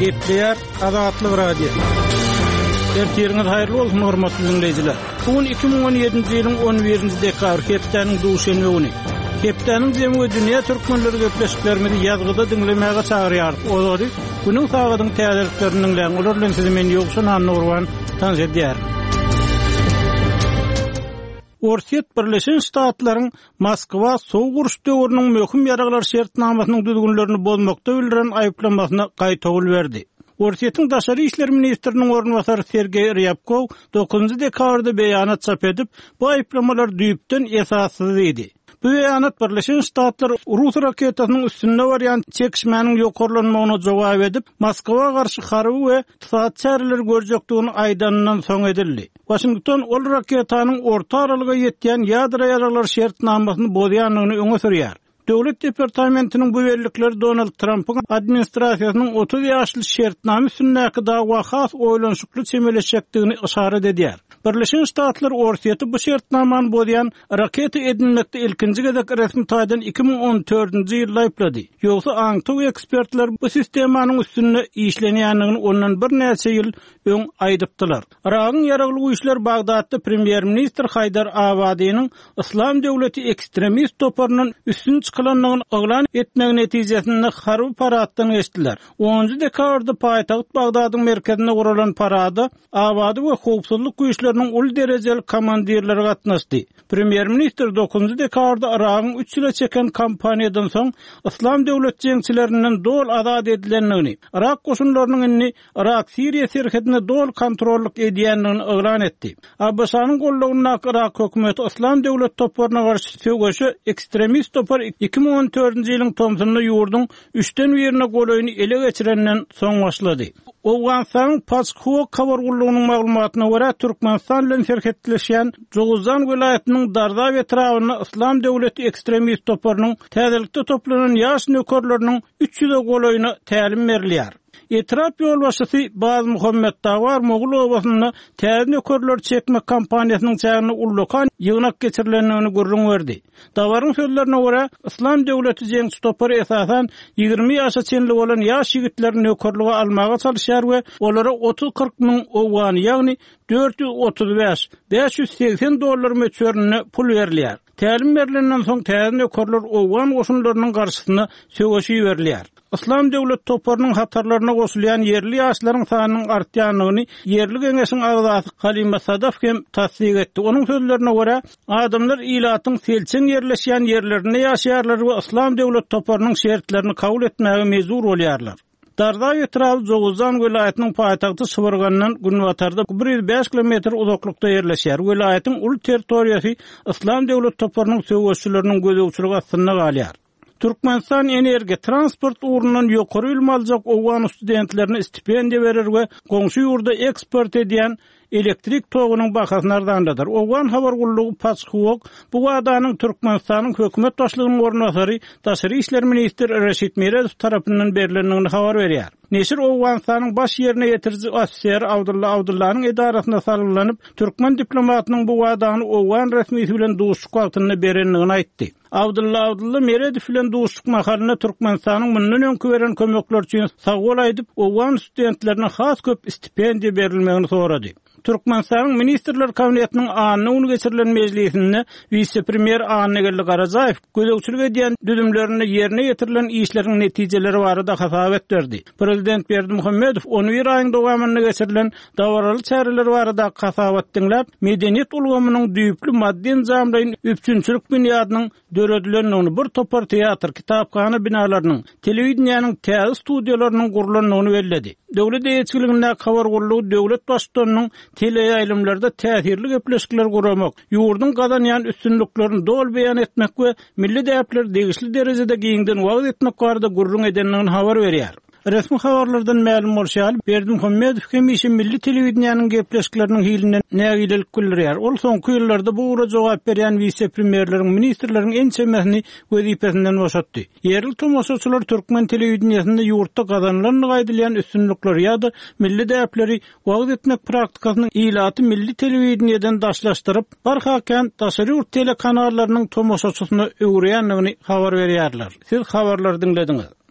Gepleýär Azatlyk Radiosy. Ertiriňiz haýyrly bolsun, hormatly diňleýjiler. Bu gün 2017-nji ýylyň 11-nji dekabr, hepdäniň duşenbe güni. Hepdäniň jemi we dünýä türkmenleri gepleşiklerimizi ýazgyda diňlemäge çagyrýarys. Olary günüň sagadyň täzeliklerini diňläň. Olar bilen sizi men Ýowşan Annagurban tanyş edýärin. Orsýet Birleşen Ştatlaryň Moskwa sowuk uruş döwrüniň möhüm ýaraglar şertnamasynyň düzgünlerini bozmakda bildiren aýyplamasyna gaýtawul berdi. Orsýetiň daşary işler ministriniň orunbasary Sergeý Rýabkow dokuzynjy dekabrda beýanat çap edip, bu aýyplamalar düýpden esassyz diýdi. Bu beýanat Birleşen Ştatlar rus raketasynyň üstünde barýan çekişmäniň ýokarlanmagyna jogap edip, Moskwa garşy harby we ykdysady çäreleri görjekdigini aýdanyndan soň edildi. Waşington ol raketanyň orta aralyga ýetýän ýadro ýaraglar şertnamasyny bozýandygyny öňe sürýär. Döwlet departamentiniň bu bellikleri Donald Trampyň administrasiýasynyň 30 ýaşly şertnama üstündäki dawa has oýlanyşykly çemeleşjekdigini yşarat edýär. Birleşen Ştatlar Orsýeti bu şertnamany bozýan raketa edinmekde ilkinji gezek resmi taýdan 2014-nji ýylda aýyplady. Ýogsa aňtaw ekspertler bu sistemanyň üstünde işlenýändigini ondan birnäçe ýyl öň aýdypdylar. Yragyň ýaragly güýçleri Bagdatda premýer-ministr Haýdar Abadynyň Yslam döwleti ekstremist toparyndan üstün çykylandygyny yglan etmegi netijesinde harby paraddan geçdiler. Onunjy dekabrda paýtagt Bagdadyň merkezinde guralan parada Abady we howpsuzlyk güýçleriniň uly derejeli komandirleri gatnaşdy. Premýer-ministr dokuzynjy dekabrda Yragyň üç ýyla çeken kampaniýadan soň Yslam döwlet jeňçilerinden doly azat edilendigini, yrak goşunlarynyň indi Yrak-Siriýa serhedine doly kontrollyk edýändigini yglan etdi. ABŞ-nyň goldawyndaky Yrak hökümeti Yslam döwlet toparyna garşy söweşe ekstremist topar 2014-nji ýylyň tomsunda ýurduň üçden birine golaýyny ele geçirenden soň başlady. Owganystanyň Paçhwok habar gullugynyň maglumatyna görä, Türkmenistan bilen serhetleşýän Jowuzjan welaýatynyň Darzab etrabynda Yslam döwleti ekstremist toparynyň täzelikde toplanan ýaş nökerleriniň 300-e golaýyna tälim berilýär. Etrap ýolbaşçysy Bazmuhammet Dawar Mogul obasynda täze nökerleri çekmek kampaniýasynyň çäginde ullakan ýygnak geçirilendigini gürrüň berdi. Dawaryň sözlerine görä, Yslam döwleti jeňçi topary esasan 20 ýaşa çenli bolan ýaş ýigitleri nökerlige almaga çalyşýar we olara otuz-kyrk müň owgany, ýagny 435, 580 dollar möçberinde pul berilýär. Tälim berlenden soň täze nökerler owgan goşunlarynyň garşysyna söweşe iberilýär. Yslam döwlet toparynyň hatarlaryna goşulýan ýerli ýaşlaryň sanynyň artýandygyny ýerli geňeşiň agzasy Halima Sadaf hem tassyk etdi. Onuň sözlerine görä, adamlar ilatyň selçeň ýerleşýän ýerlerinde ýaşaýarlar we Yslam döwlet toparynyň şertlerini kabul etmäge mejbur bolýarlar. Dardaý etraby Jowuzjan welaýatynyň paýtagty Şybyrgandan günbatarda 105 kilometr uzaklykda ýerleşýär. Welaýatyň uly territoriýasy Yslam döwlet toparynyň söweşçileriniň gözegçiligi astynda galýar. Türkmenistan energiýa, transport ugrundan ýokary bilim aljak owgan studentlerine stipendiýa berer we goňşy ýurda eksport edýän elektrik togunyň bahasyny arzanladar. Owgan habar gullugy Paçhuok bu wadanyň Türkmenistanyň hökümet başlygynyň orunbasary, daşary işler ministri Reşit Meredow tarapyndan berlendigini habar berýär. Neşir Owganystanyň baş ýerine ýetiriji ofiseri Abdylla Abdyllanyň edarasyna salgylanyp, türkmen diplomatynyň bu wadany owgan resmisi bilen duşuşyk wagtynda berendigini aýtdy. Abdylla Abdylla Meredow bilen duşuşyk mahalynda Türkmenistanyň mundan öňki beren kömekleri üçin sagbol aýdyp, owgan studentlerine has köp stipendiýa berilmegini sorady. Türkmenistanyň Ministrler Kabinetiniň anna güni geçirilen mejlisinde wise-premýer Annageldi Garajaýew gözegçilik edýän düzümlerinde ýerine ýetirilen işleriň netijeleri barada hasabat berdi. Prezident Berdimuhamedow on bir aýyň dowamynda geçirilen dabaraly çäreler baradaky hasabaty diňläp, medeniýet ulgamynyň düýpli maddy-enjamlaýyn üpjünçilik binýadynyň döredilendigini, bir topar teatr, kitaphana binalarynyň, telewideniýäniň täze studiýalarynyň gurlandygyny belledi. Döwlet eýeçiligindäki habar gullugy döwlet Baştutanynyň teleýaýlymlarda täsirli gepleşikleri guramak, ýurduň gazanýan üstünliklerini doly beýan etmek we milli däpleri degişli derejede giňden wagyz etmek barada gürrüň edendigini habar berýär. Resmi habarlardan mälim bolşy ýaly, Berdimuhamedow hemişe milli telewideniýäniň gepleşikleriniň hilinden nägilelik bildirýär. Ol soňky ýyllarda bu ugra jogap berýän wise-premýerleriň, ministrleriň ençemesini wezipesinden boşatdy. Ýerli tomaşaçylar türkmen telewideniýesinde ýurtda gazanylandygy aýdylýan üstünlikleri ýa-da milli däpleri wagyz etmek praktikasynyň ilaty milli telewideniýeden daşlaşdyryp, barha kän daşary ýurt telekanallarynyň tomaşaçysyna öwürýändigini habar berýärler. Siz habarlary diňlediňiz.